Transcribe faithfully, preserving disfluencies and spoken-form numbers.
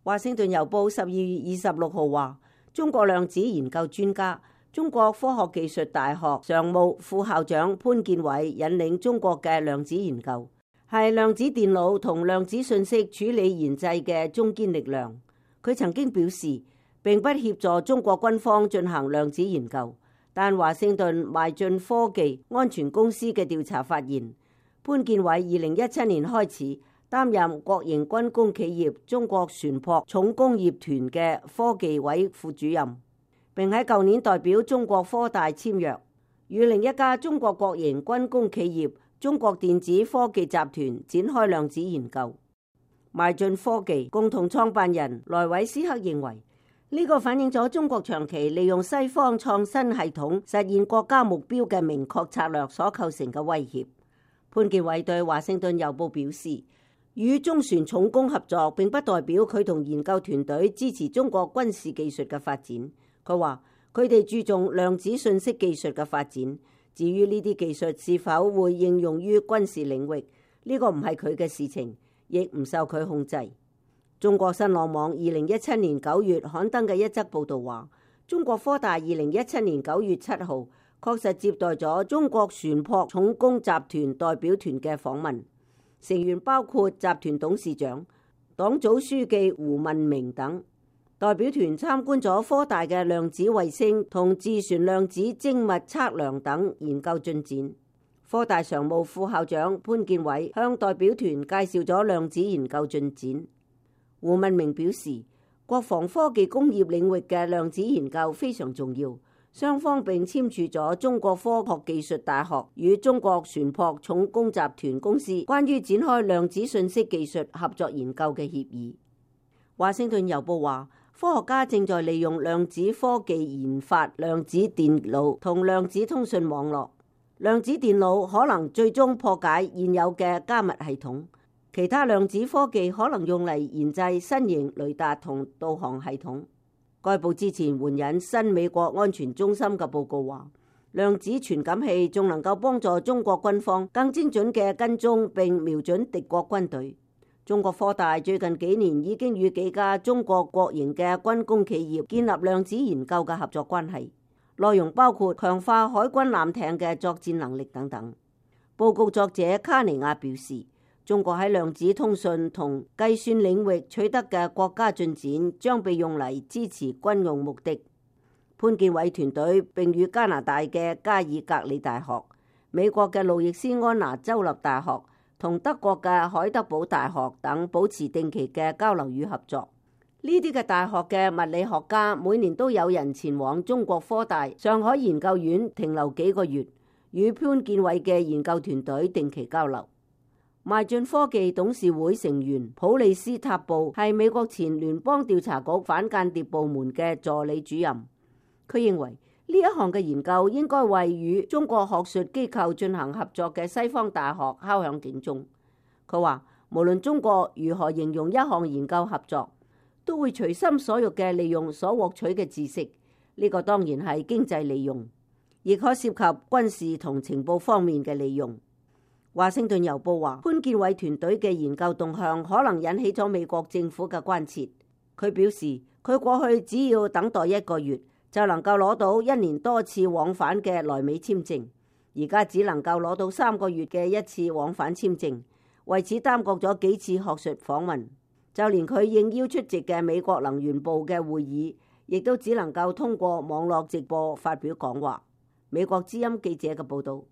華盛頓郵報十二月二十六號話，中國量子研究專家、中國科學技術大學常務副校長潘建偉引領中國嘅量子研究，係量子電腦同量子信息處理研製嘅中堅力量。佢曾經表示，並不協助中國軍方進行量子研究，但華盛頓邁進科技安全公司嘅調查發現，潘建偉二零一七年開始擔任國營軍工企業中國船舶重工業團嘅科技委副主任，並喺舊年代表中國科大簽約，與另一家中國國營軍工企業中國電子科技集團展開量子研究。邁進科技共同創辦人萊維斯克認為，呢、這個反映咗中國長期利用西方創新系統實現國家目標嘅明確策略所構成嘅威脅。潘建偉對華盛頓郵報表示，與中船重工合作並不代表佢同研究團隊支持中國軍事技術嘅發展。佢話佢哋注重量子信息技術嘅發展，至於呢啲技術是否會應用於軍事領域，呢、這個唔係佢嘅事情，亦唔受佢控制。中國新浪網二零一七年九月刊登嘅一則報道話，中國科大二零一七年九月七號確實接待咗中國船舶重工集團代表團嘅訪問。成員包括集團董事長、黨組書記胡文明等。代表團參觀咗科大嘅量子衛星同自旋量子精密測量等研究進展。科大常務副校長潘建偉向代表團介紹咗量子研究進展。胡文明表示，國防科技工業領域嘅量子研究非常重要。雙方並簽署咗中國科學技術大學與中國船舶重工集團公司關於展開量子信息技術合作研究嘅協議。華盛頓郵報話，科學家正在利用量子科技研發量子電腦同量子通訊網絡。量子電腦可能最終破解現有嘅加密系統，其他量子科技可能用嚟研製新型雷達同導航系統。該報之前援引新美國安全中心嘅報告話，量子傳感器仲能夠幫助中國軍方更精準嘅跟蹤並瞄準敵國軍隊。中國科大最近幾年已經與幾家中國國營嘅軍工企業建立量子研究嘅合作關係，內容包括強化海軍艦艇嘅作戰能力等等。報告作者卡尼亞表示，中國喺量子通訊同計算領域取得嘅國家進展將被用嚟支持軍用目的。潘建偉團隊並與加拿大嘅加爾格里大學、美國嘅路易斯安那州立大學同德國嘅海德堡大學等保持定期嘅交流與合作。呢啲嘅大學嘅物理學家每年都有人前往中國科大上海研究院停留幾個月，與潘建偉嘅研究團隊定期交流。邁進科技董事會成員普利斯塔布係美國前聯邦調查局反間諜部門嘅助理主任。佢認為呢一項嘅研究應該為與中國學術機構進行合作嘅西方大學敲響警鐘。佢話，無論中國如何形容一項研究合作，都會隨心所欲嘅利用所獲取嘅知識。呢個當然係經濟利用，亦可涉及軍事同情報方面嘅利用。華盛頓郵報話，潘建偉團隊嘅研究動向可能引起咗美國政府嘅關切。佢表示，佢過去只要等待一個月就能夠攞到一年多次往返嘅來美簽證，而家只能夠攞到三個月嘅一次往返簽證，為此耽擱咗幾次學術訪問。就連佢應邀出席嘅美國能源部嘅會議，亦都只能夠通過網絡直播發表講話。美國之音記者嘅報道。